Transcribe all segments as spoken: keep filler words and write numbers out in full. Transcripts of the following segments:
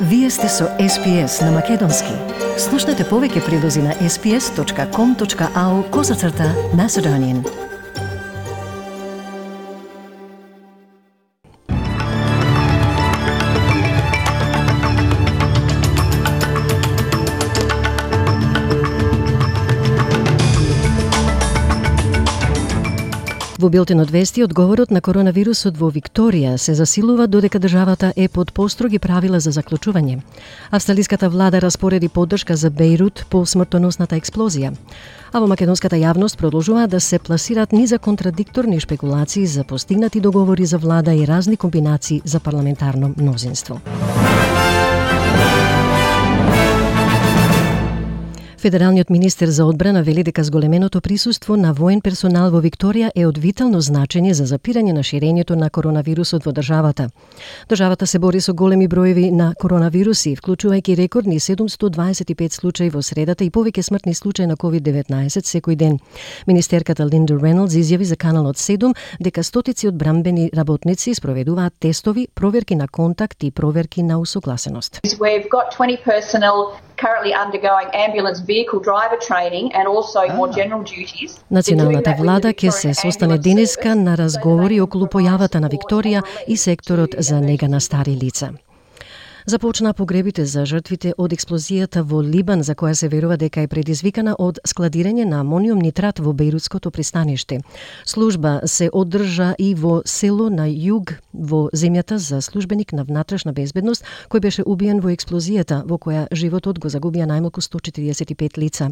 Вие сте со Ес Пи Ес на Македонски. Слушнете повеќе прилози на ес пи ес точка ком точка ау козацрта Macedonian. Во билтенот вести, одговорот на коронавирусот во Викторија се засилува додека државата е под построги правила за заклучување. Австралиската влада распореди поддршка за Бејрут по смртоносната експлозија. А во македонската јавност продолжуваат да се пласираат низа контрадикторни шпекулации за постигнати договори за влада и разни комбинации за парламентарно мнозинство. Федералниот министер за одбрана вели дека зголеменото присуство на воен персонал во Викторија е од витално значење за запирање на ширењето на коронавирусот во државата. Државата се бори со големи броеви на коронавируси, вклучувајќи рекордни седумстотини дваесет и пет случаи во средата и повеќе смртни случаи на ковид деветнаесет секој ден. Министерката Линда Рейнолдс изјави за каналот седум дека стотици од бранбени работници спроведуваат тестови, проверки на контакт и проверки на усогласеност. We've got twenty personnel currently undergoing ambulance vehicle driver training and also more general duties. Националната влада ќе се состане денеска на разговори околу појавата на Викторија и секторот за нега на стари лица. Започна погребите за жртвите од експлозијата во Либан, за која се верува дека е предизвикана од складирање на амониум нитрат во Бејрутското пристаниште. Служба се одржа и во село на југ во земјата за службеник на внатрешна безбедност, кој беше убиен во експлозијата, во која животот го загубија најмалку сто четиридесет и пет лица.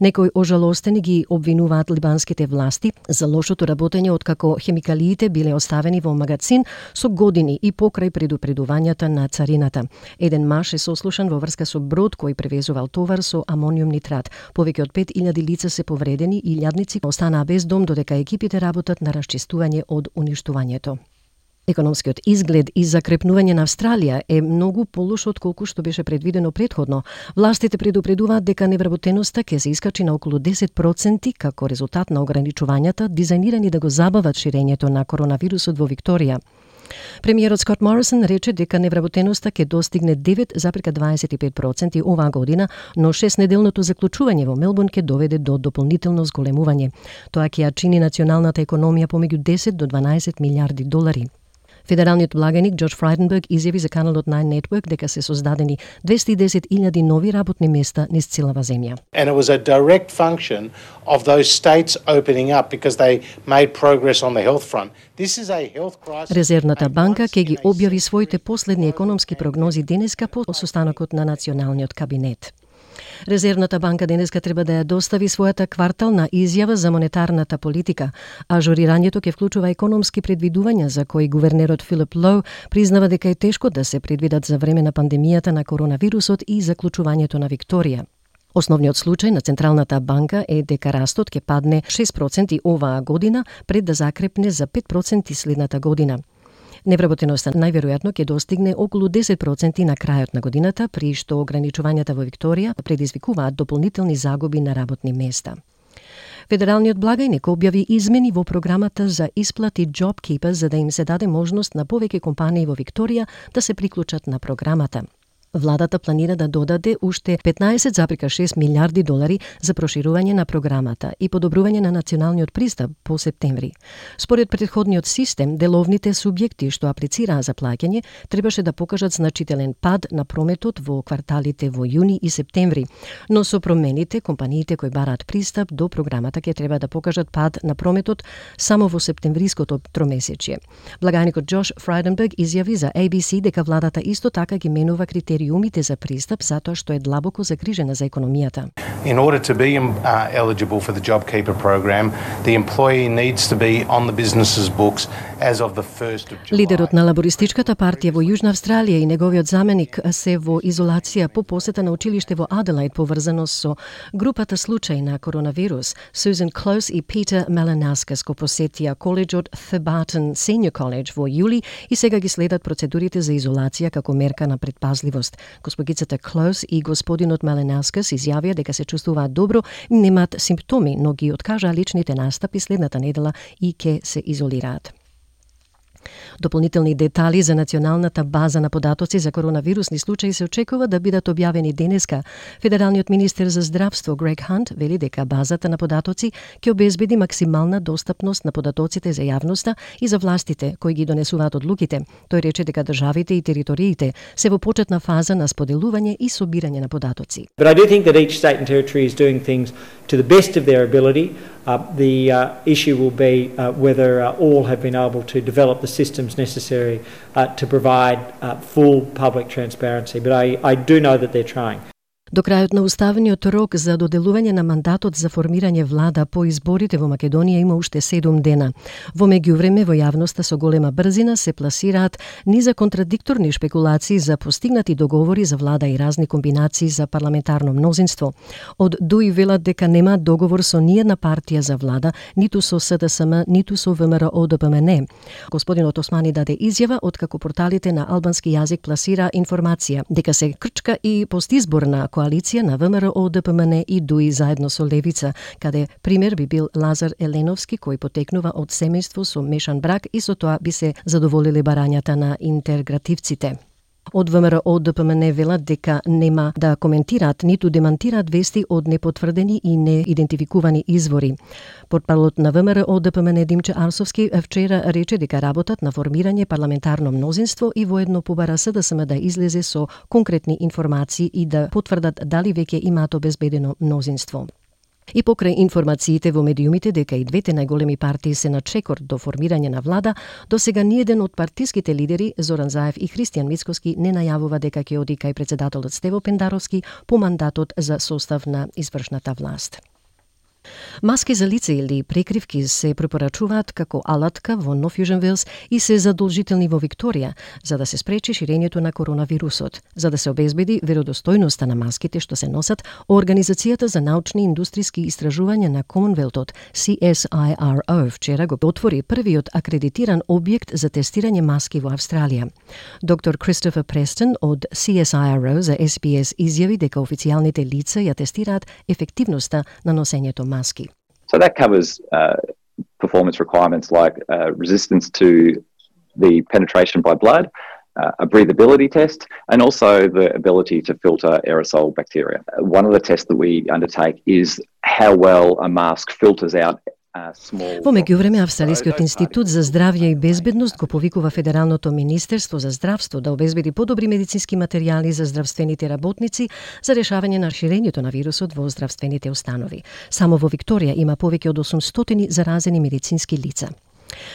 Некои ожалостени ги обвинуваат либанските власти за лошото работење откако хемикалиите биле оставени во магацин со години и покрај предупредувањата на царината. Еден маж е сослушан во врска со брод кој превезувал товар со амониум нитрат. Повеќе од пет илјади лица се повредени и илјадници останаа без дом додека екипите работат на расчистување од уништувањето. Економскиот изглед и закрепнување на Австралија е многу полош од колку што беше предвидено претходно. Властите предупредуваат дека невработеноста ќе се искачи на околу десет проценти како резултат на ограничувањата дизајнирани да го забават ширењето на коронавирусот во Викторија. Премиерот Скот Морисон рече дека невработеноста ќе достигне девет зарез дваесет и пет проценти оваа година, но шестнеделното заклучување во Мелбурн ќе доведе до дополнително зголемување. Тоа ќе ја чини националната економија помеѓу десет до дванаесет милијарди долари. Федералниот благаник Џорџ Фрајденберг изјави за каналот Nine Network дека се создадени двесте и десет илјади нови работни места низ целава земја. And it was a direct function of those states opening up because they made progress on the health front. This is a health crisis. Резервната банка ќе ги објави своите последни економски прогнози денеска по состанокот на националниот кабинет. Резервната банка денеска треба да ја достави својата квартална изјава за монетарната политика. Ажурирањето ќе вклучува економски предвидувања за кои гувернерот Филип Лоу признава дека е тешко да се предвидат за време на пандемијата на коронавирусот и заклучувањето на Викторија. Основниот случај на Централната банка е дека растот ќе падне шест проценти оваа година пред да закрепне за пет проценти следната година. Невработеноста најверојатно ќе достигне околу десет проценти на крајот на годината, при што ограничувањата во Викторија предизвикуваат дополнителни загуби на работни места. Федералниот благајник објави измени во програмата за исплати JobKeeper за да им се даде можност на повеќе компании во Викторија да се приклучат на програмата. Владата планира да додаде уште петнаесет зарез шест милијарди долари за проширување на програмата и подобрување на националниот пристап по септември. Според претходниот систем, деловните субјекти што аплицираа за плаќање требаше да покажат значителен пад на прометот во кварталите во јуни и септември, но со промените компаниите кои бараат пристап до програмата ќе треба да покажат пад на прометот само во септемвриското тромесечје. Благајникот Џорџ Фрајденберг изјави за А Би Си дека владата исто така ги менува критерии критериумите за пристап затоа што е длабоко загрижена за економијата. In order to be uh, eligible for the JobKeeper program, the employee needs to be on the business's books as of the first of July. Лидерот на лабористичката партија во Јужна Австралија и неговиот заменик се во изолација по посета на училиште во Аделаид поврзано со групата случаи на коронавирус. Сузан Клоус и Питер Малинаускас го посетија коледжот Thebarton Senior College во јули и сега ги следат процедурите за изолација како мерка на предпазливост. Госпогицата Клоус и господинот Малинаускас изјавија дека се чувствуваат добро, немаат симптоми, но ги откажаа личните настапи следната недела и ќе се изолираат. Дополнителни детали за националната база на податоци за коронавирусни случаи се очекува да бидат објавени денеска. Федералниот министер за здравство Грег Хант вели дека базата на податоци ќе обезбеди максимална достапност на податоците за јавноста и за властите кои ги донесуваат одлуките. Тој рече дека државите и териториите се во почетна фаза на споделување и собирање на податоци. But I do think that each state and territory is doing things to the best of their ability. Uh, the uh, issue will be uh, whether uh, all have been able to develop the systems necessary uh, to provide uh, full public transparency. But I, I do know that they're trying. До крајот на уставениот рок за доделување на мандатот за формирање влада по изборите во Македонија има уште седум дена. Во меѓувреме во јавноста со голема брзина се пласираат низа контрадикторни шпекулации за постигнати договори за влада и разни комбинации за парламентарно мнозинство. Од ДУИ велат дека нема договор со ниедна партија за влада, ниту со СДСМ, ниту со ВМРО ДПМН. Господинот Османи даде изјава откако порталите на албански јазик пласира информација дека се крчка и постизборна коалиција на ВМРО ДПМН и ДУИ заедно со Левица, каде пример би бил Лазар Еленовски, кој потекнува од семејство со мешан брак и со тоа би се задоволиле барањата на интегративците. Од ВМРО ДПМН велат дека нема да коментираат ниту демантираат вести од непотврдени и неидентификувани извори. Портпаролот на ВМРО ДПМН Димче Арсовски вчера рече дека работат на формирање парламентарно мнозинство и воедно побара СДСМ да излезе со конкретни информации и да потврдат дали веќе имаат обезбедено мнозинство. И покрај информациите во медиумите дека и двете најголеми партии се на чекор до формирање на влада, до сега ниеден од партиските лидери, Зоран Заев и Христијан Мицкоски, не најавува дека ќе оди кај председателот Стево Пендаровски по мандатот за состав на извршната власт. Маски за лице или прекривки се препорачуваат како алатка во Нов Јужен Велс и се задолжителни во Викторија, за да се спречи ширењето на коронавирусот. За да се обезбеди веродостојноста на маските што се носат, Организацијата за научни и индустријски истражувања на Комонвелтот, C S I R O, вчера го отвори првиот акредитиран објект за тестирање маски во Австралија. Доктор Кристофер Престон од C S I R O за S B S изјави дека официјалните лица ја тестираат ефективноста на носењето маски. So that covers uh, performance requirements like uh, resistance to the penetration by blood, uh, a breathability test, and also the ability to filter aerosol bacteria. One of the tests that we undertake is how well a mask filters out. Во меѓувреме, Австралискиот институт за здравје и безбедност го повикува Федералното министерство за здравство да обезбеди подобри медицински материјали за здравствените работници за решавање на ширењето на вирусот во здравствените установи. Само во Викторија има повеќе од осумстотини заразени медицински лица.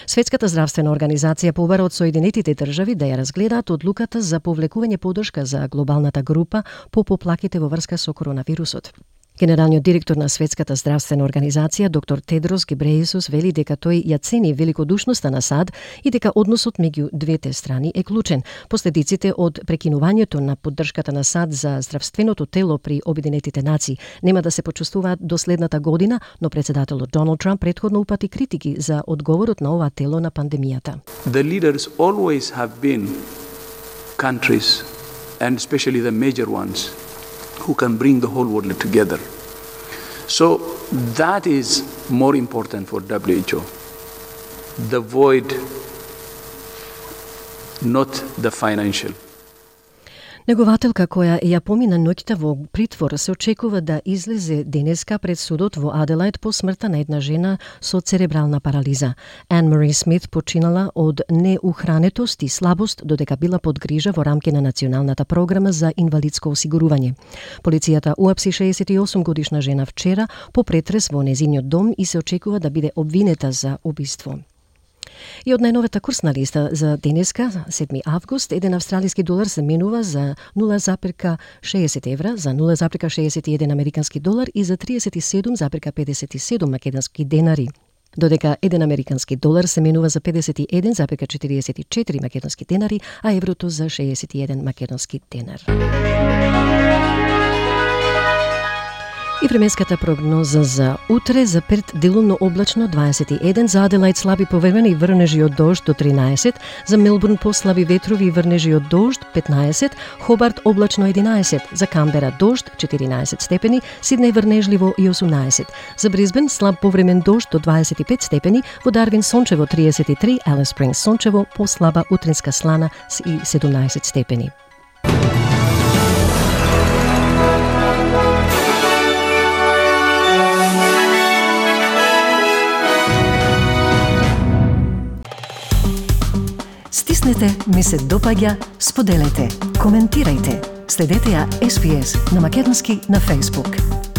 Светската здравствена организација побара од Соединетите држави да ја разгледаат одлуката за повлекување поддршка за глобалната група по поплаките во врска со коронавирусот. Генералниот директор на Светската здравствена организација, доктор Тедрос Гебрејесус, вели дека тој ја цени великодушноста на САД и дека односот меѓу двете страни е клучен. Последиците од прекинувањето на поддршката на САД за здравственото тело при Обединетите нации нема да се почувствуваат до следната година, но председателот Доналд Трамп претходно упати критики за одговорот на ова тело на пандемијата. The leaders always have been countries, and especially the major ones, who can bring the whole world together. So that is more important for W H O. The void, not the financial. Негователка која ја помина ноќта во притвор се очекува да излезе денеска пред судот во Аделајд по смртта на една жена со церебрална парализа. Ан Мари Смит починала од неухранетост и слабост додека била под грижа во рамки на Националната програма за инвалидско осигурување. Полицијата уапси шеесет и осум годишна жена вчера по претрес во незиниот дом и се очекува да биде обвинета за убиство. И од најновата курсна листа за денеска, седми август, еден австралиски долар се менува за нула зарез шеесет евра, за нула зарез шеесет и еден американски долар и за триесет и седум зарез педесет и седум македонски денари. Додека еден американски долар се менува за педесет и еден зарез четириесет и четири македонски денари, а еврото за шеесет и еден македонски денар. И временската прогноза за утре: за Перт делумно облачно дваесет и еден, за Аделаид слаби поврemeni и врнежи од дожд до тринаесет, за Мелбурн послаби ветрови и врнежи од дожд петнаесет, Хобарт облачно единаесет, за Камбера дожд четиринаесет степени, Сиднеј врнежливо и осумнаесет, за Брисбен слаб повремен дожд до дваесет и пет степени, во Дарвин сончево триесет и три, Алис Спрингс сончево, послаба утринска слана и седумнаесет степени. Стиснете, ми се допаѓа, споделете, коментирајте. Следете ја Ес Би Ес на македонски на Facebook.